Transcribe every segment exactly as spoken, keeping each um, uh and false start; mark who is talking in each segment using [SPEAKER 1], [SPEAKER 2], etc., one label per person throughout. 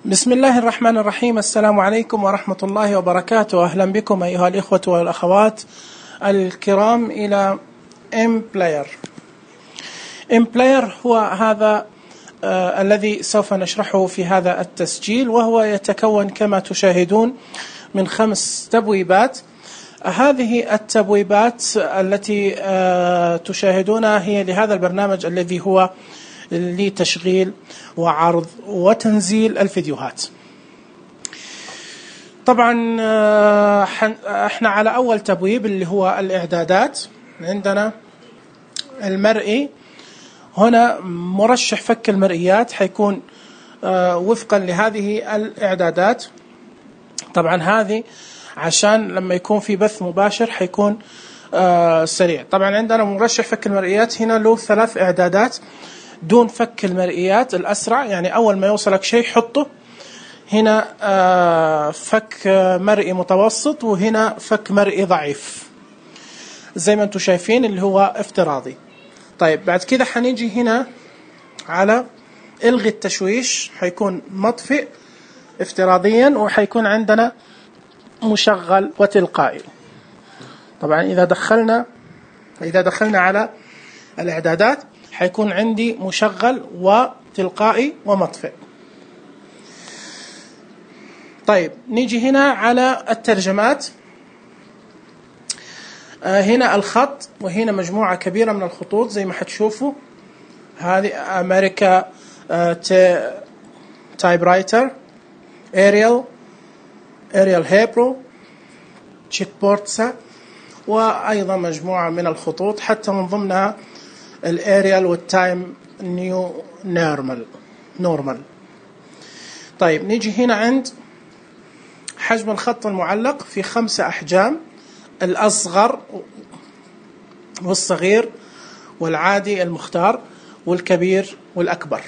[SPEAKER 1] بسم الله الرحمن الرحيم. السلام عليكم ورحمة الله وبركاته. أهلا بكم أيها الإخوة والأخوات الكرام إلى إمبلاير. إمبلاير هو هذا آه الذي سوف نشرحه في هذا التسجيل، وهو يتكون كما تشاهدون من خمس تبويبات. هذه التبويبات التي آه تشاهدونها هي لهذا البرنامج الذي هو لتشغيل وعرض وتنزيل الفيديوهات. طبعا احنا على اول تبويب اللي هو الاعدادات. عندنا المرئي، هنا مرشح فك المرئيات حيكون وفقا لهذه الاعدادات. طبعا هذه عشان لما يكون في بث مباشر حيكون سريع. طبعا عندنا مرشح فك المرئيات هنا له ثلاث اعدادات دون فك المرئيات الأسرع، يعني أول ما يوصلك شيء حطه هنا. آه فك مرئي متوسط، وهنا فك مرئي ضعيف زي ما انتم شايفين اللي هو افتراضي. طيب بعد كده حنيجي هنا على الغي التشويش، حيكون مطفئ افتراضيا، وحيكون عندنا مشغل وتلقائي. طبعا إذا دخلنا إذا دخلنا على الإعدادات حيكون عندي مشغل وتلقائي ومطفئ. طيب نيجي هنا على الترجمات. آه هنا الخط، وهنا مجموعة كبيرة من الخطوط زي ما حتشوفوا. هذه أمريكا آه تايب رايتر، أريال أريال هيبرو، تشيك بورتسا، وأيضا مجموعة من الخطوط حتى من ضمنها الاريال والتايم نيو نورمال نورمال. طيب نيجي هنا عند حجم الخط المعلق في خمسة أحجام: الأصغر والصغير والعادي المختار والكبير والأكبر.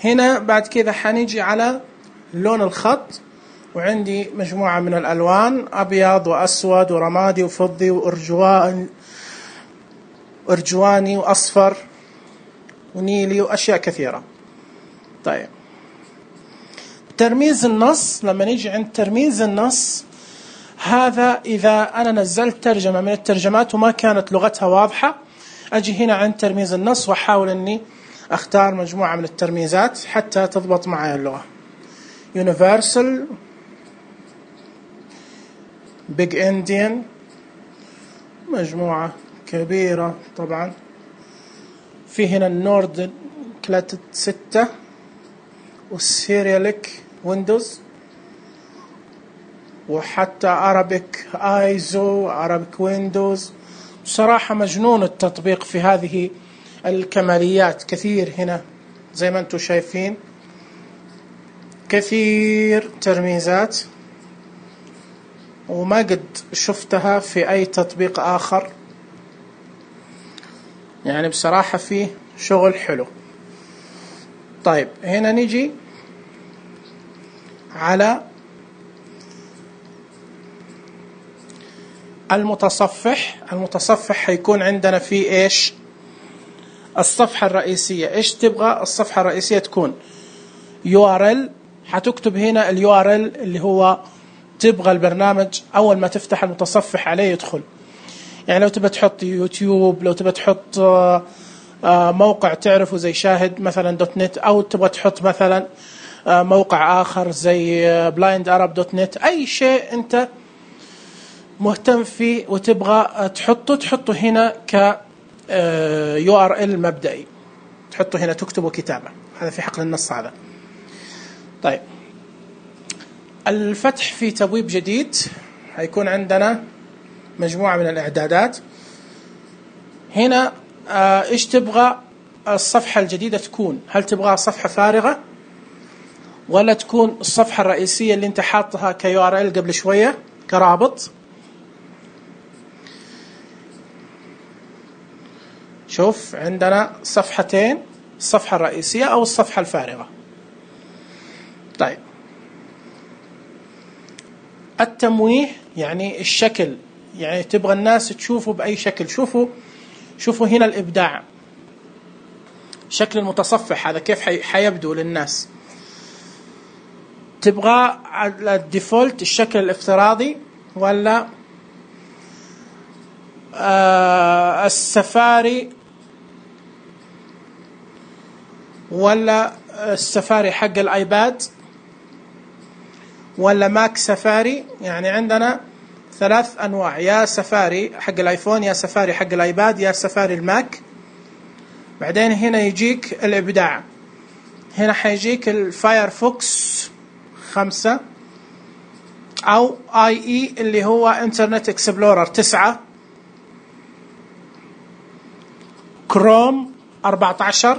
[SPEAKER 1] هنا بعد كذا حنيجي على لون الخط، وعندي مجموعة من الألوان: أبيض وأسود ورمادي وفضي وأرجوان أرجواني وأصفر ونيلي وأشياء كثيرة. طيب ترميز النص، لما نيجي عند ترميز النص هذا إذا أنا نزلت ترجمة من الترجمات وما كانت لغتها واضحة، أجي هنا عند ترميز النص وأحاول أني أختار مجموعة من الترميزات حتى تضبط معي اللغة. Universal، Big Indian، مجموعة كبيرة طبعا. في هنا النورد كلاتت ستة، والسيرياليك ويندوز، وحتى أرابيك آيزو، أرابيك ويندوز. بصراحة مجنون التطبيق في هذه الكماليات، كثير هنا زي ما انتم شايفين، كثير ترميزات وما قد شفتها في أي تطبيق آخر. يعني بصراحة فيه شغل حلو. طيب هنا نيجي على المتصفح. المتصفح حيكون عندنا فيه إيش؟ الصفحة الرئيسية. إيش تبغى الصفحة الرئيسية تكون؟ يو آر إل. حتكتب هنا اليو آر إل اللي هو تبغى البرنامج أول ما تفتح المتصفح عليه يدخل. يعني لو تبى تحط يوتيوب، لو تبى تحط موقع تعرفه زي شاهد مثلا دوت نت، أو تبغى تحط مثلا موقع آخر زي بلايند أرب دوت نت، أي شيء أنت مهتم فيه وتبغى تحطه تحطه هنا ك يو آر إل مبدئي، تحطه هنا تكتبه كتابة. هذا في حقل النص هذا. طيب الفتح في تبويب جديد هيكون عندنا مجموعة من الإعدادات. هنا آه إيش تبغى الصفحة الجديدة تكون؟ هل تبغى صفحة فارغة ولا تكون الصفحة الرئيسية اللي انت حاطها كيو ار ال قبل شوية كرابط؟ شوف عندنا صفحتين، الصفحة الرئيسية أو الصفحة الفارغة. طيب التمويه يعني الشكل، يعني تبغى الناس تشوفوا بأي شكل. شوفوا شوفوا هنا الإبداع، شكل المتصفح هذا كيف حيبدو للناس. تبغى على الديفولت الشكل الافتراضي ولا آه السفاري ولا السفاري حق الايباد ولا ماك سفاري؟ يعني عندنا ثلاث انواع، يا سفاري حق الايفون، يا سفاري حق الايباد، يا سفاري الماك. بعدين هنا يجيك الابداع، هنا حيجيك الفايرفوكس خمسة او اي اي اللي هو انترنت اكسبلورر تسعة، كروم أربعة عشر،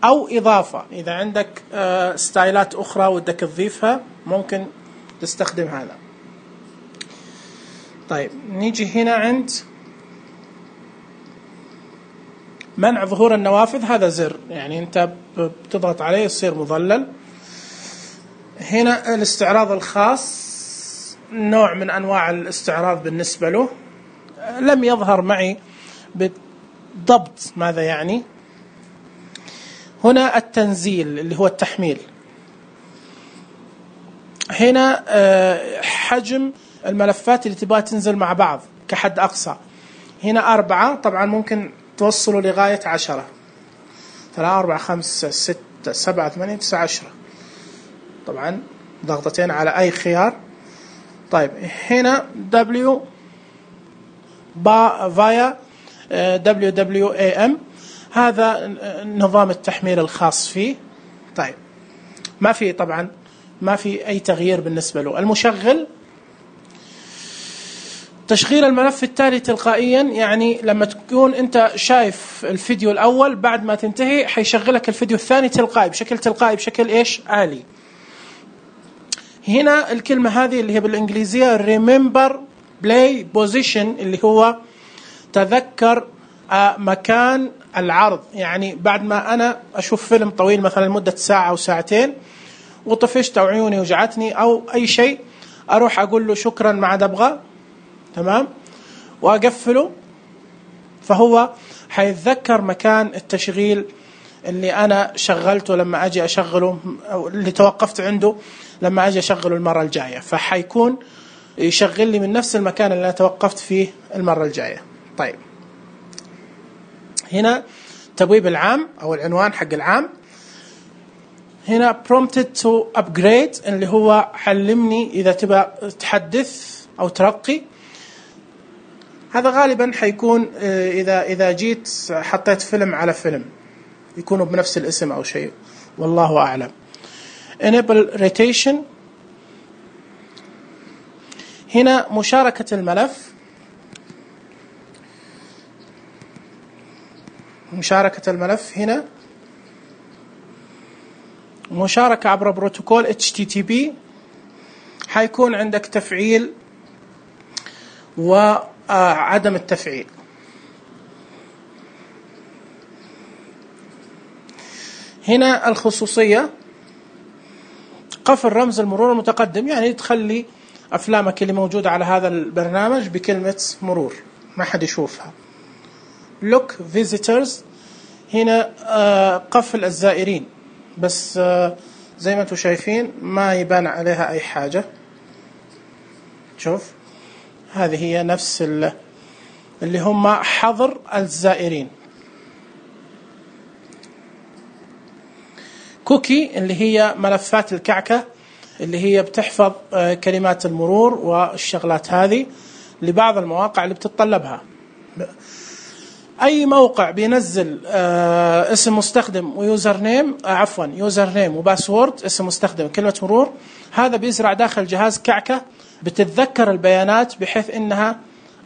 [SPEAKER 1] او اضافة اذا عندك ستايلات اخرى ودك تضيفها ممكن تستخدم هذا. طيب نيجي هنا عند منع ظهور النوافذ، هذا زر يعني انت بتضغط عليه يصير مظلل. هنا الاستعراض الخاص، نوع من انواع الاستعراض بالنسبة له، لم يظهر معي بالضبط ماذا يعني. هنا التنزيل اللي هو التحميل، هنا حجم الملفات اللي تبغى تنزل مع بعض كحد أقصى، هنا أربعة، طبعا ممكن توصلوا لغاية عشرة، ثلاثة أربعة خمسة ستة سبعة ثمانية تسعة عشرة، طبعا ضغطتين على أي خيار. طيب هنا W با فايا دبليو دبليو إيه إم، هذا نظام التحميل الخاص فيه. طيب ما في طبعا ما في أي تغيير بالنسبة له. المشغل، تشغيل الملف التالي تلقائيا، يعني لما تكون أنت شايف الفيديو الأول بعد ما تنتهي حيشغلك الفيديو الثاني تلقائي بشكل تلقائي بشكل إيش آلي. هنا الكلمة هذه اللي هي بالإنجليزية remember play position، اللي هو تذكر مكان العرض. يعني بعد ما أنا أشوف فيلم طويل مثلا لمدة ساعة أو ساعتين وطفشت أو عيوني وجعتني أو أي شيء، أروح أقول له شكرا ما عاد أبغى، تمام، وأقفله، فهو حيتذكر مكان التشغيل اللي أنا شغلته لما أجي أشغله، أو اللي توقفت عنده لما أجي أشغله المرة الجاية، فحيكون يشغل لي من نفس المكان اللي أنا توقفت فيه المرة الجاية. طيب هنا تبويب العام أو العنوان حق العام. هنا prompted to upgrade اللي هو علمني إذا تبى تحدث أو ترقي. هذا غالبا حيكون إذا إذا جيت حطيت فيلم على فيلم يكونوا بنفس الاسم أو شيء، والله أعلم. enable rotation، هنا مشاركة الملف، مشاركة الملف هنا مشاركة عبر بروتوكول إتش تي تي بي، حيكون عندك تفعيل وعدم التفعيل. هنا الخصوصية، قفل رمز المرور المتقدم، يعني تخلي أفلامك اللي موجودة على هذا البرنامج بكلمة مرور ما حد يشوفها. look visitors، هنا قفل الزائرين، بس زي ما انتم شايفين ما يبان عليها أي حاجة. شوف هذه هي نفس اللي هم حظر الزائرين. كوكي اللي هي ملفات الكعكة اللي هي بتحفظ كلمات المرور والشغلات هذه لبعض المواقع اللي بتتطلبها. أي موقع بينزل اسم مستخدم ويوزر نيم، عفوا يوزر نيم وباسورد، اسم مستخدم كلمة مرور، هذا بيزرع داخل جهاز كعكة، بتتذكر البيانات بحيث إنها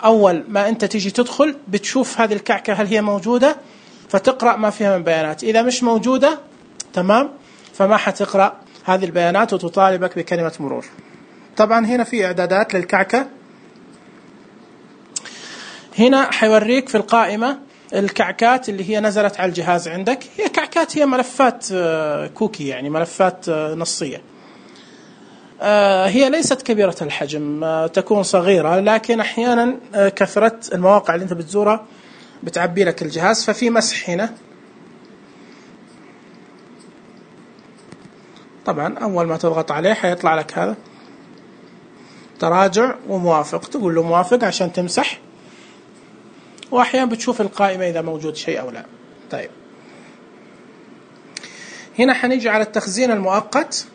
[SPEAKER 1] أول ما أنت تيجي تدخل بتشوف هذه الكعكة هل هي موجودة فتقرأ ما فيها من بيانات، إذا مش موجودة تمام فما حتقرأ هذه البيانات وتطالبك بكلمة مرور. طبعا هنا في إعدادات للكعكة، هنا حيوريك في القائمة الكعكات اللي هي نزلت على الجهاز عندك. هي كعكات، هي ملفات كوكي يعني ملفات نصية، هي ليست كبيرة الحجم، تكون صغيرة، لكن أحيانا كثرة المواقع اللي أنت بتزورها بتعبي لك الجهاز. ففي مسح هنا، طبعا أول ما تضغط عليه حيطلع لك هذا تراجع وموافق، تقول له موافق عشان تمسح، وأحيانا بتشوف القائمة إذا موجود شيء أو لا. طيب هنا حنيجي على التخزين المؤقت،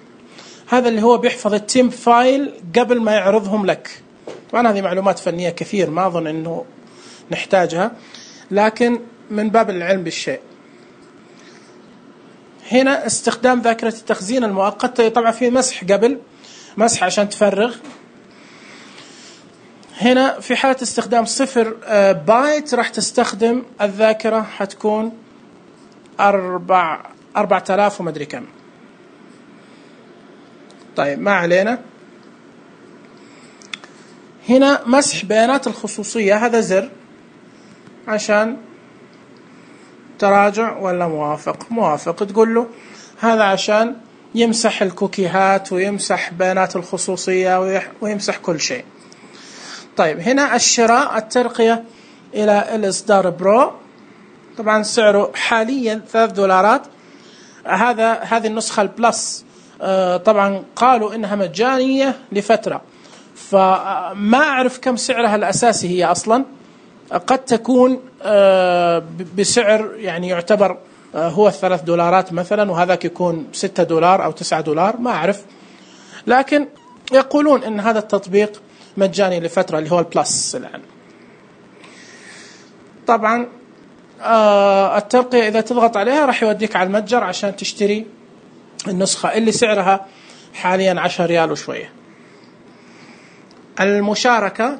[SPEAKER 1] هذا اللي هو بيحفظ التيم فايل قبل ما يعرضهم لك. طبعا هذه معلومات فنية كثير ما أظن أنه نحتاجها، لكن من باب العلم بالشيء. هنا استخدام ذاكرة التخزين المؤقت، طبعا في مسح قبل، مسح عشان تفرغ. هنا في حالة استخدام صفر بايت راح تستخدم الذاكرة حتكون أربع أربعة آلاف ومدري كم. طيب ما علينا. هنا مسح بيانات الخصوصية، هذا زر عشان تراجع ولا موافق. موافق تقول له هذا عشان يمسح الكوكيهات ويمسح بيانات الخصوصية ويمسح كل شيء. طيب هنا الشراء، الترقية إلى الإصدار برو، طبعا سعره حاليا ثلاث دولارات. هذا هذه النسخة البلس طبعا قالوا إنها مجانية لفترة، فما أعرف كم سعرها الأساسي هي أصلا. قد تكون بسعر يعني يعتبر هو الثلاث دولارات مثلا، وهذاك يكون ستة دولار أو تسعة دولار، ما أعرف. لكن يقولون إن هذا التطبيق مجاني لفترة اللي هو البلس الآن. طبعا الترقية إذا تضغط عليها راح يوديك على المتجر عشان تشتري النسخة اللي سعرها حاليا عشرة ريال وشوية. المشاركة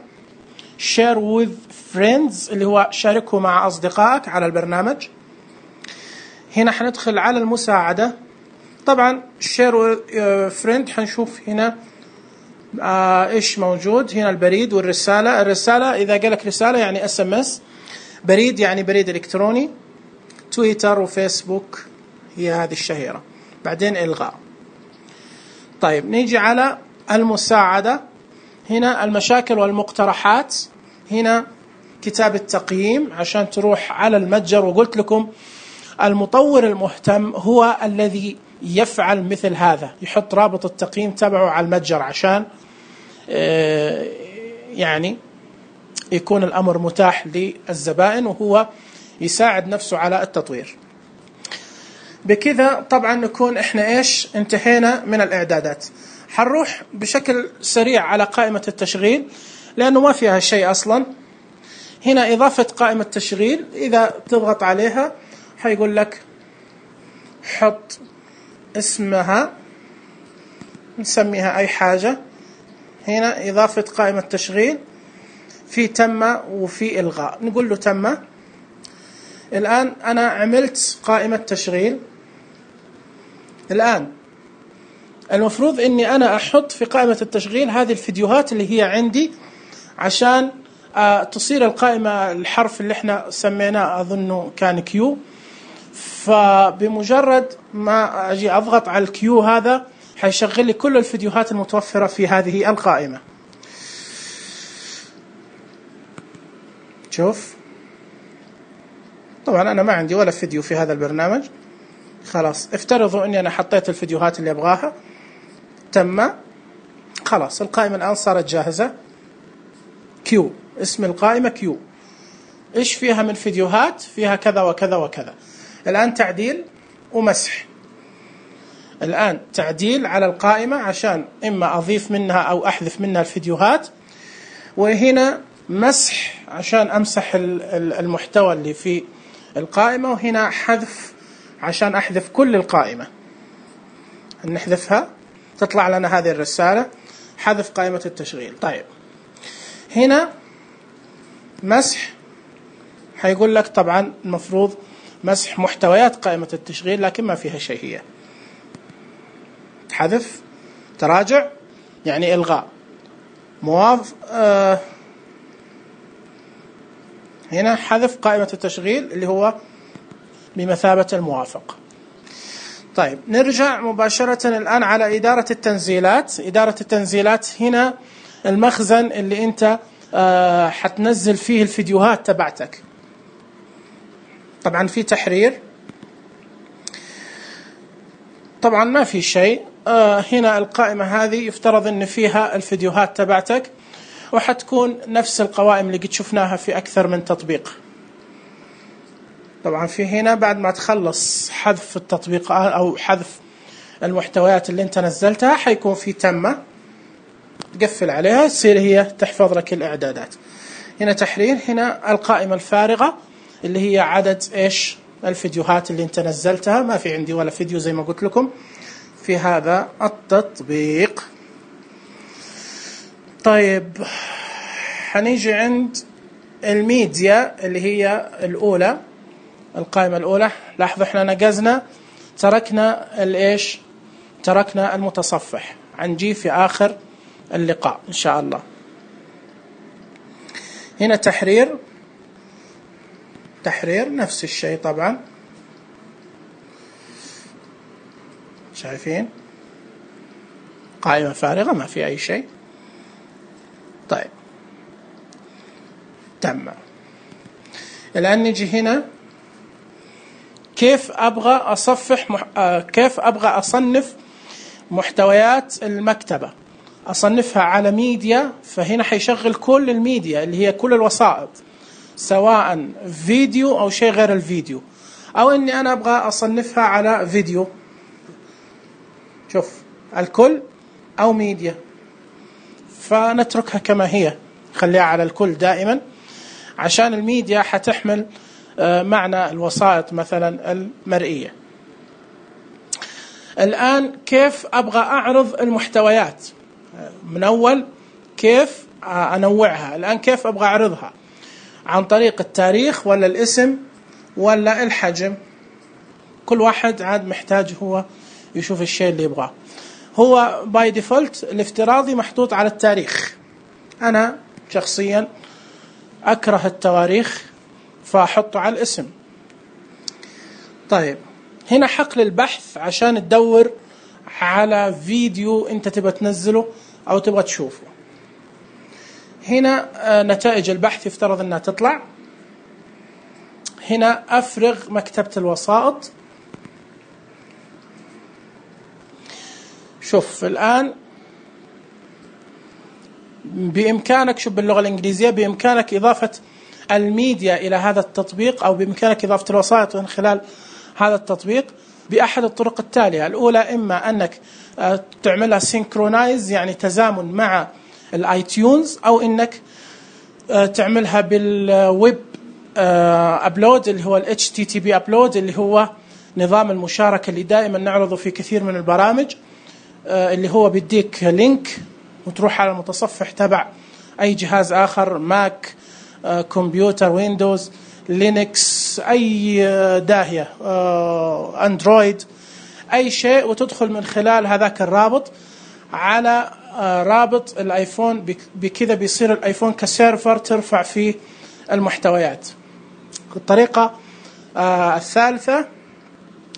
[SPEAKER 1] share with friends اللي هو شاركه مع أصدقائك على البرنامج. هنا حندخل على المساعدة، طبعا share with friend حنشوف هنا آه إيش موجود. هنا البريد والرسالة. الرسالة إذا قالك رسالة يعني اس ام اس، بريد يعني بريد إلكتروني، تويتر وفيسبوك هي هذه الشهيرة. بعدين إلغاء. طيب نيجي على المساعدة، هنا المشاكل والمقترحات، هنا كتاب التقييم عشان تروح على المتجر. وقلت لكم المطور المهتم هو الذي يفعل مثل هذا، يحط رابط التقييم تبعه على المتجر عشان يعني يكون الأمر متاح للزبائن، وهو يساعد نفسه على التطوير. بكذا طبعا نكون احنا ايش انتهينا من الإعدادات. حنروح بشكل سريع على قائمة التشغيل لأنه ما فيها شيء أصلا. هنا إضافة قائمة تشغيل، إذا تضغط عليها حيقول لك حط اسمها، نسميها أي حاجة. هنا إضافة قائمة تشغيل، في تم وفي إلغاء، نقول له تم. الآن أنا عملت قائمة تشغيل. الآن المفروض أني أنا أحط في قائمة التشغيل هذه الفيديوهات اللي هي عندي عشان تصير القائمة الحرف اللي احنا سميناه أظنه كان كيو. فبمجرد ما أجي أضغط على الكيو هذا حيشغل لي كل الفيديوهات المتوفرة في هذه القائمة. شوف طبعا أنا ما عندي ولا فيديو في هذا البرنامج. خلاص افترضوا أني أنا حطيت الفيديوهات اللي أبغاها، تم. خلاص القائمة الآن صارت جاهزة. كيو، اسم القائمة كيو. إيش فيها من فيديوهات؟ فيها كذا وكذا وكذا. الآن تعديل ومسح. الآن تعديل على القائمة عشان إما أضيف منها أو أحذف منها الفيديوهات، وهنا مسح عشان أمسح المحتوى اللي في القائمة، وهنا حذف عشان أحذف كل القائمة. نحذفها تطلع لنا هذه الرسالة حذف قائمة التشغيل. طيب هنا مسح، حيقول لك طبعا المفروض مسح محتويات قائمة التشغيل لكن ما فيها شيء. هي حذف، تراجع يعني إلغاء، موافق. آه هنا حذف قائمة التشغيل اللي هو بمثابة الموافق. طيب نرجع مباشرة الآن على إدارة التنزيلات. إدارة التنزيلات هنا المخزن اللي أنت آه حتنزل فيه الفيديوهات تبعتك. طبعا في تحرير، طبعا ما في شيء، آه هنا القائمة هذه يفترض أن فيها الفيديوهات تبعتك، وحتكون نفس القوائم اللي قد شفناها في أكثر من تطبيق. طبعا في هنا بعد ما تخلص حذف التطبيقات أو حذف المحتويات اللي انت نزلتها حيكون في تمة، تقفل عليها تصير هي تحفظ لك الإعدادات. هنا تحرير، هنا القائمة الفارغة اللي هي عدد إيش الفيديوهات اللي انت نزلتها. ما في عندي ولا فيديو زي ما قلت لكم في هذا التطبيق. طيب حنيجي عند الميديا اللي هي الأولى، القائمة الأولى. لاحظوا احنا نقزنا تركنا الإيش تركنا المتصفح، حنجي في آخر اللقاء إن شاء الله. هنا تحرير، تحرير نفس الشيء طبعا، شايفين قائمة فارغة ما في أي شيء. طيب تم. الآن نجي هنا كيف أبغى أصفح مح... آه كيف أبغى أصنف محتويات المكتبة. أصنفها على ميديا، فهنا حيشغل كل الميديا اللي هي كل الوسائط، سواء فيديو أو شيء غير الفيديو، أو إني أنا أبغى أصنفها على فيديو. شوف الكل أو ميديا، فنتركها كما هي، خليها على الكل دائما، عشان الميديا حتحمل معنى الوسائط مثلا المرئية. الآن كيف أبغى أعرض المحتويات؟ من أول كيف أنوعها. الآن كيف أبغى أعرضها؟ عن طريق التاريخ ولا الاسم ولا الحجم؟ كل واحد عاد محتاج هو يشوف الشيء اللي يبغاه. هو باي ديفولت الافتراضي محطوط على التاريخ. أنا شخصيا أكره التواريخ فأحطه على الاسم. طيب هنا حقل البحث عشان تدور على فيديو أنت تبغى تنزله أو تبغى تشوفه. هنا نتائج البحث يفترض أنها تطلع. هنا أفرغ مكتبة الوسائط. شوف الآن بإمكانك، شوف باللغة الإنجليزية، بإمكانك إضافة الميديا إلى هذا التطبيق، أو بإمكانك إضافة الوسائط من خلال هذا التطبيق بأحد الطرق التالية. الأولى إما أنك تعملها سينكرونايز يعني تزامن مع الايتيونز، أو إنك تعملها بالويب أبلود اللي هو ال إتش تي تي بي أبلود، اللي هو نظام المشاركة اللي دائما نعرضه في كثير من البرامج، اللي هو بيديك لينك وتروح على المتصفح تبع أي جهاز آخر، ماك، كمبيوتر، ويندوز، لينكس، أي داهية، أندرويد، أي شيء، وتدخل من خلال هذاك الرابط على رابط الآيفون. بكذا بيصير الآيفون كسيرفر ترفع فيه المحتويات. الطريقة الثالثة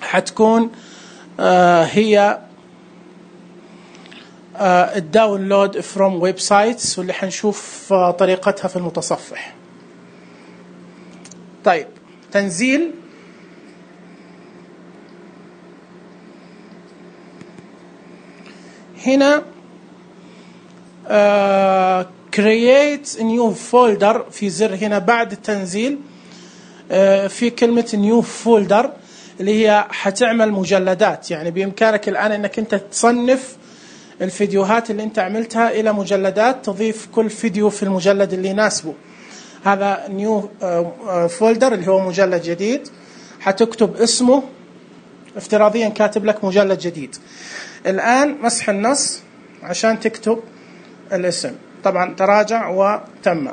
[SPEAKER 1] حتكون هي الداونلود فروم ويب سايتس، واللي حنشوف طريقتها في المتصفح. طيب تنزيل. هنا uh, create new folder في زر هنا بعد التنزيل. uh, في كلمة new folder اللي هي حتعمل مجلدات. يعني بإمكانك الآن أنك أنت تصنف الفيديوهات اللي أنت عملتها إلى مجلدات، تضيف كل فيديو في المجلد اللي يناسبه. هذا نيو فولدر اللي هو مجلد جديد، حتكتب اسمه، افتراضيا كاتب لك مجلد جديد. الآن مسح النص عشان تكتب الاسم. طبعا تراجع وتم،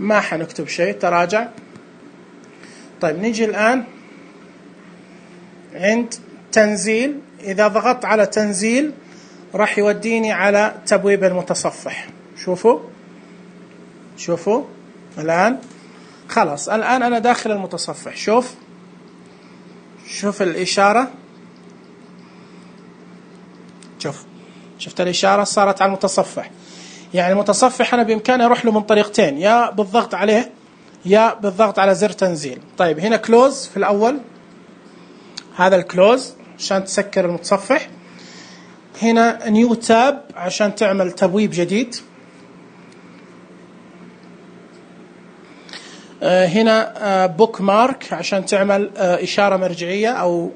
[SPEAKER 1] ما حنكتب شيء، تراجع. طيب نيجي الآن عند تنزيل. إذا ضغطت على تنزيل راح يوديني على تبويب المتصفح. شوفوا شوفوا الآن خلاص، الآن أنا داخل المتصفح. شوف شوف الإشارة، شوف شفت الإشارة صارت على المتصفح. يعني المتصفح أنا بإمكاني أروح له من طريقتين، يا بالضغط عليه يا بالضغط على زر تنزيل. طيب هنا كلوز في الأول، هذا الكلوز عشان تسكر المتصفح. هنا نيو تاب عشان تعمل تبويب جديد. هنا بوك مارك عشان تعمل إشارة مرجعية، أو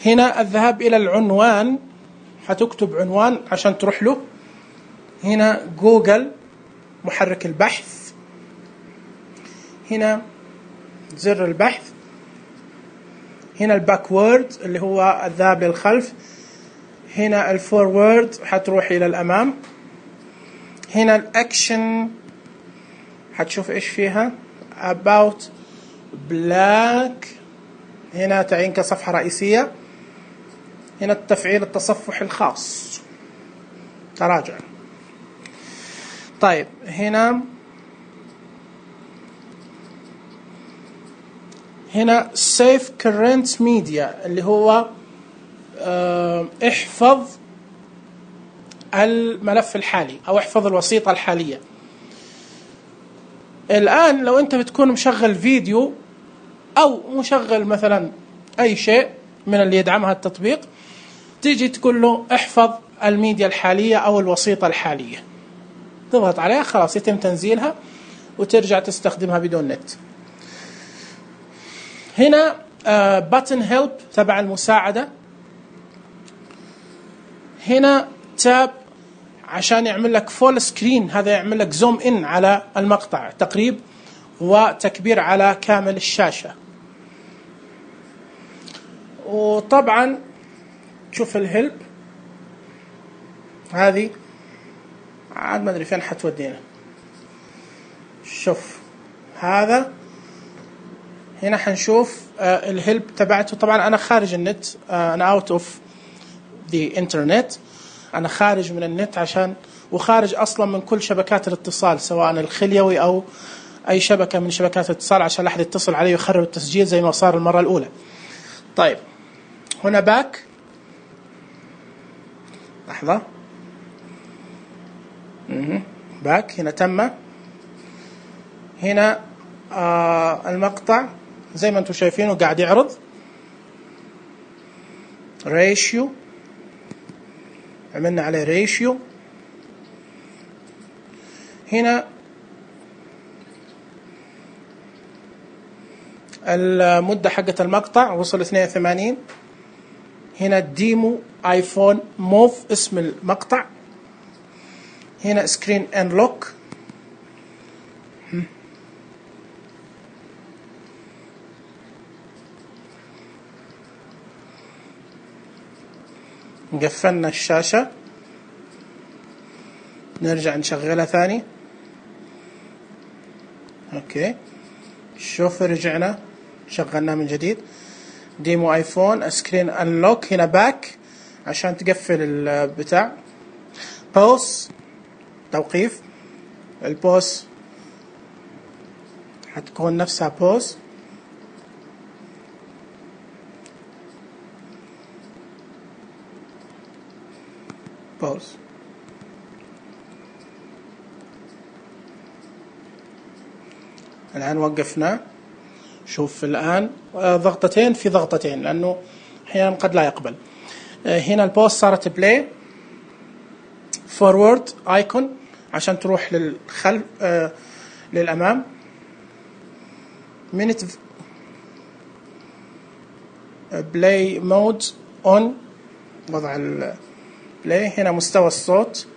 [SPEAKER 1] هنا الذهاب إلى العنوان، هتكتب عنوان عشان تروح له. هنا جوجل محرك البحث. هنا زر البحث. هنا الباكورد اللي هو الذهاب للخلف. هنا الفورورد هتروح إلى الأمام. هنا الأكشن هتشوف إيش فيها about black. هنا تعين كصفحة رئيسية. هنا التفعيل التصفح الخاص، تراجع. طيب هنا هنا save current media اللي هو اه احفظ الملف الحالي أو احفظ الوسيطة الحالية. الآن لو أنت بتكون مشغل فيديو أو مشغل مثلا أي شيء من اللي يدعمها التطبيق، تيجي تقول له احفظ الميديا الحالية أو الوسيطة الحالية، تضغط عليها خلاص يتم تنزيلها وترجع تستخدمها بدون نت. هنا باتن هيلب تبع المساعدة. هنا تاب عشان يعمل لك فول سكرين، هذا يعمل لك زوم إن على المقطع، تقريب وتكبير على كامل الشاشة. وطبعا شوف الهلب هذه عاد ما أدري فين حتودينا. شوف هذا هنا حنشوف آه الهلب تبعته. طبعا أنا خارج النت، آه أنا اوت اوف ذا انترنت، أنا خارج من النت عشان وخارج أصلا من كل شبكات الاتصال سواء الخليوي أو أي شبكة من شبكات الاتصال عشان لا أحد يتصل علي ويخرب التسجيل زي ما صار المرة الأولى. طيب هنا باك، لحظة، باك. هنا تم. هنا آه المقطع زي ما انتم شايفينه قاعد يعرض ريشيو، عملنا عليه ريشيو. هنا المدة حقة المقطع وصل اثنين وثمانين. هنا ديمو ايفون موف اسم المقطع. هنا سكرين انلوك. قفلنا الشاشة، نرجع نشغلها ثاني. اوكي شوف رجعنا شغلناه من جديد. ديمو ايفون سكرين انلوك. هنا باك عشان تقفل البتاع. بوس توقيف. البوس حتكون نفسها بوس. بوس الآن وقفنا. شوف الآن ضغطتين في ضغطتين لأنه أحيانا قد لا يقبل. هنا البوست صارت بلاي. فورورد ايكون عشان تروح للخلف آه للأمام. minute بلاي مود اون، وضع البلاي. هنا مستوى الصوت.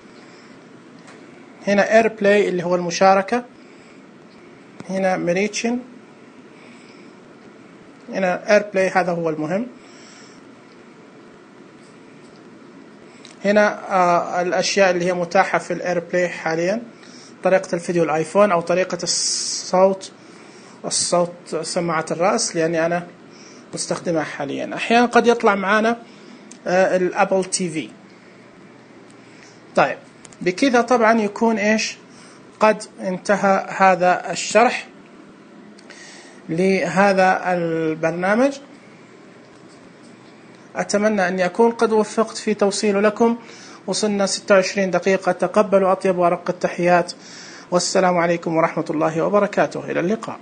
[SPEAKER 1] هنا اير بلاي اللي هو المشاركة. هنا مريتشن. هنا اير بلاي هذا هو المهم. هنا آه الأشياء اللي هي متاحة في الاير بلاي حاليا، طريقة الفيديو الايفون أو طريقة الصوت الصوت سماعة الرأس لأني أنا مستخدمها حاليا. أحيانا قد يطلع معنا آه الأبل تي في. طيب بكذا طبعا يكون إيش قد انتهى هذا الشرح لهذا البرنامج. أتمنى أن يكون قد وفقت في توصيله لكم. وصلنا ستة وعشرين دقيقة. تقبلوا أطيب وأرق التحيات، والسلام عليكم ورحمة الله وبركاته. إلى اللقاء.